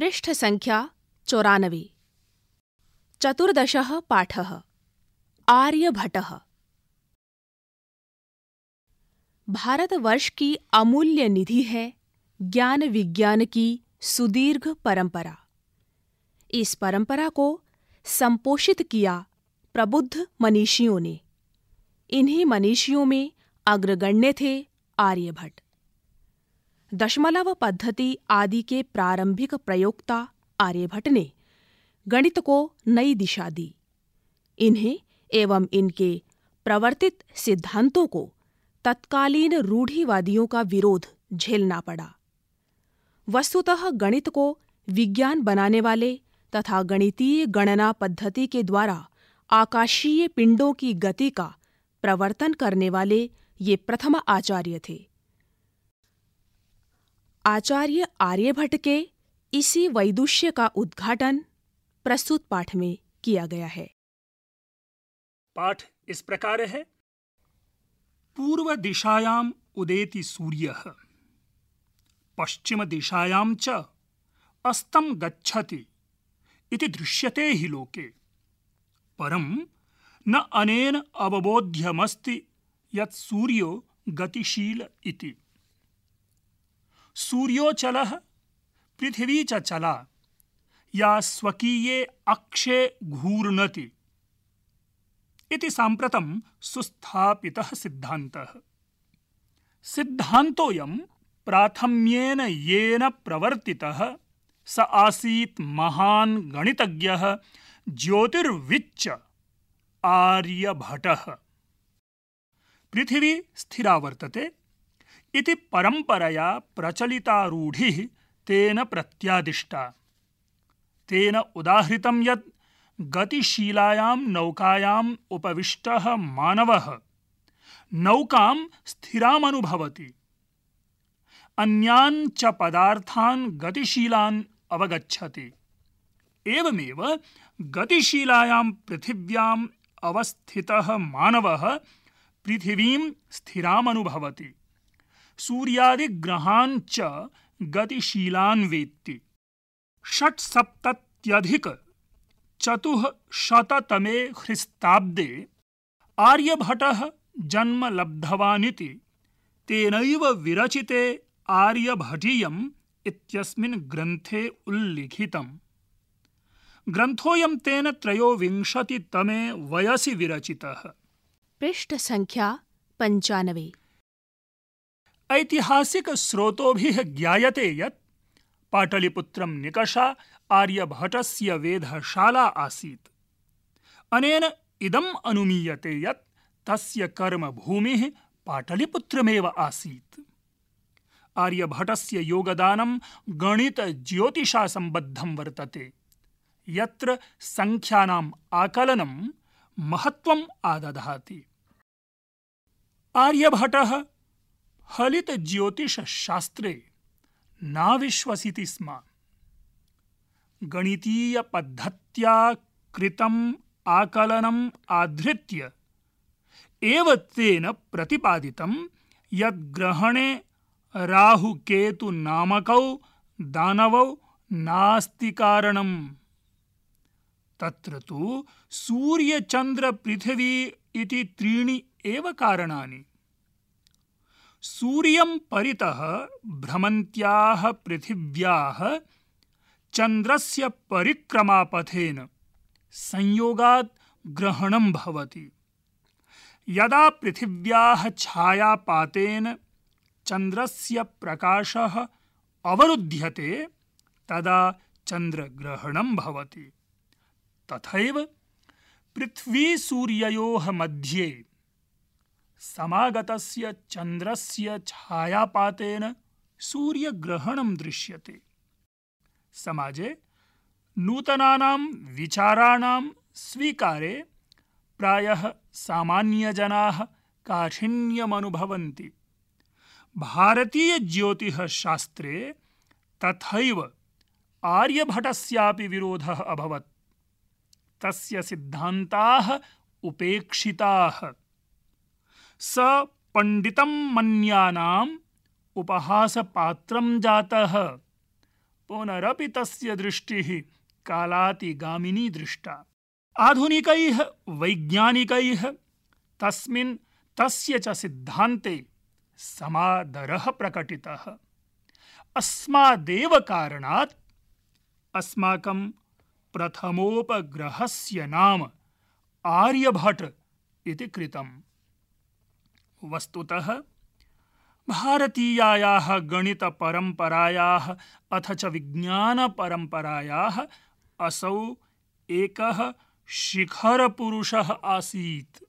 पृष्ठसङ्ख्या 94। चतुर्दशः पाठः। आर्यभटः। भारतवर्ष की अमूल्य निधि है ज्ञान विज्ञान की सुदीर्घ परंपरा। इस परंपरा को संपोषित किया प्रबुद्ध मनीषियों ने। इन्हीं मनीषियों में अग्रगण्य थे आर्यभट्ट। दशमलव पद्धति आदि के प्रारंभिक प्रयोक्ता आर्यभट्ट ने गणित को नई दिशा दी। इन्हें एवं इनके प्रवर्तित सिद्धांतों को तत्कालीन रूढ़िवादियों का विरोध झेलना पड़ा। वस्तुतः गणित को विज्ञान बनाने वाले तथा गणितीय गणना पद्धति के द्वारा आकाशीय पिंडों की गति का प्रवर्तन करने वाले ये प्रथम आचार्य थे। आचार्य आर्यभट्ट के इसी वैदुष्य का उद्घाटन प्रस्तुत पाठ में किया गया है। पाठ इस प्रकार है। पूर्व दिशायाम उदेति सूर्यः, पश्चिम दिशायां च अस्तं गच्छति इति दृश्यते हि लोके। परं न अनेन अवबोध्यमस्ति यत् सूर्यो गतिशील इति। सूर्योचलः पृथिवी च चला, या स्वकीये अक्षे घूर्णति इति साम्प्रतं सुस्थापितः सिद्धान्तः। सिद्धान्तोऽयं प्राथम्येन येन प्रवर्तितः स आसीत् महान् गणितज्ञः ज्योतिर्विच्च आर्यभटः। पृथिवी स्थिरा वर्तते इति परंपरया प्रचलिता रूढिः तेन प्रत्यादिष्टा। तेन उदाहृतं यत् गतिशीलायां नौकायाम् उपविष्टः मानवः नौकां स्थिरामनुभवति, अन्यान् च पदार्थान् गतिशीलान् अवगच्छति। एवमेव गतिशीलायां पृथिव्याम् अवस्थितः मानवः पृथिवीं स्थिरामनुभवति, सूर्यादिग्रहान् च गतिशीलान् वेत्ति। 670–400 ख्रीस्ताब्दे आर्यभटः जन्म लब्धवानिति तेनैव विरचिते आर्यभटीयम् इत्यस्मिन् ग्रन्थे उल्लिखितम्। ग्रन्थोऽयं तेन 23तमे वयसि विरचितः। पृष्ठसङ्ख्या 95। ऐतिहासिक स्रोतोभिः ज्ञायते यत् पाटलिपुत्रं निकषा आर्यभटस्य वेधशाला आसीत्। अनेन इदम् अनुमीयते यत् तस्य कर्मभूमिः पाटलिपुत्रमेव आसीत्। आर्यभटस्य योगदानं गणित-ज्योतिषा सम्बद्धं वर्तते, यत्र संख्यानाम् आकलनं महत्त्वम् आदधाति। आर्यभटः फलित ज्योतिष शास्त्रे नाविश्वसिति स्म। गणितीय पद्धत्या कृतम् आकलनम् आधृत्य एव तेन प्रतिपादितं यत् ग्रहणे राहुकेतु नामकौ दानवौ नास्ति कारणम्। तत्र तु सूर्यचन्द्र पृथिवी इति त्रीणि एव कारणानि। सूर्यं परितः भ्रमन्त्याः पृथिव्याः चन्द्रस्य परिक्रमापथेन संयोगात् ग्रहणं भवति। यदा पृथिव्याः छायापातेन चन्द्रस्य प्रकाशः अवरुध्यते तदा चन्द्रग्रहणं भवति। तथैव पृथ्वी-सूर्ययोः मध्ये समागतस्य चन्द्रस्य छायापातेन सूर्यग्रहणं दृश्यते। समाजे नूतनानां विचाराणां स्वीकारे प्रायः सामान्यजनाः काठिन्यमनुभवन्ति। भारतीयज्योतिषशास्त्रे तथैव आर्यभटस्यापि विरोधः अभवत्। तस्य सिद्धान्ताः उपेक्षिताः। स पंडितं मन्यानाम् उपहासपात्रं जातः। पुनरपि तस्य दृष्टिः कालातिगामिनी दृष्टा। आधुनिकैः वैज्ञानिकैः तस्य च सिद्धान्ते समादरः प्रकटितः। अस्मादेव कारणात् अस्माकं प्रथमोपग्रहस्य नाम आर्यभट्ट इति कृतम्। वस्तुतः भारतीयायाः गणितपरम्परायाः अथ च विज्ञानपरम्परायाः असौ एकः शिखरपुरुषः आसीत्।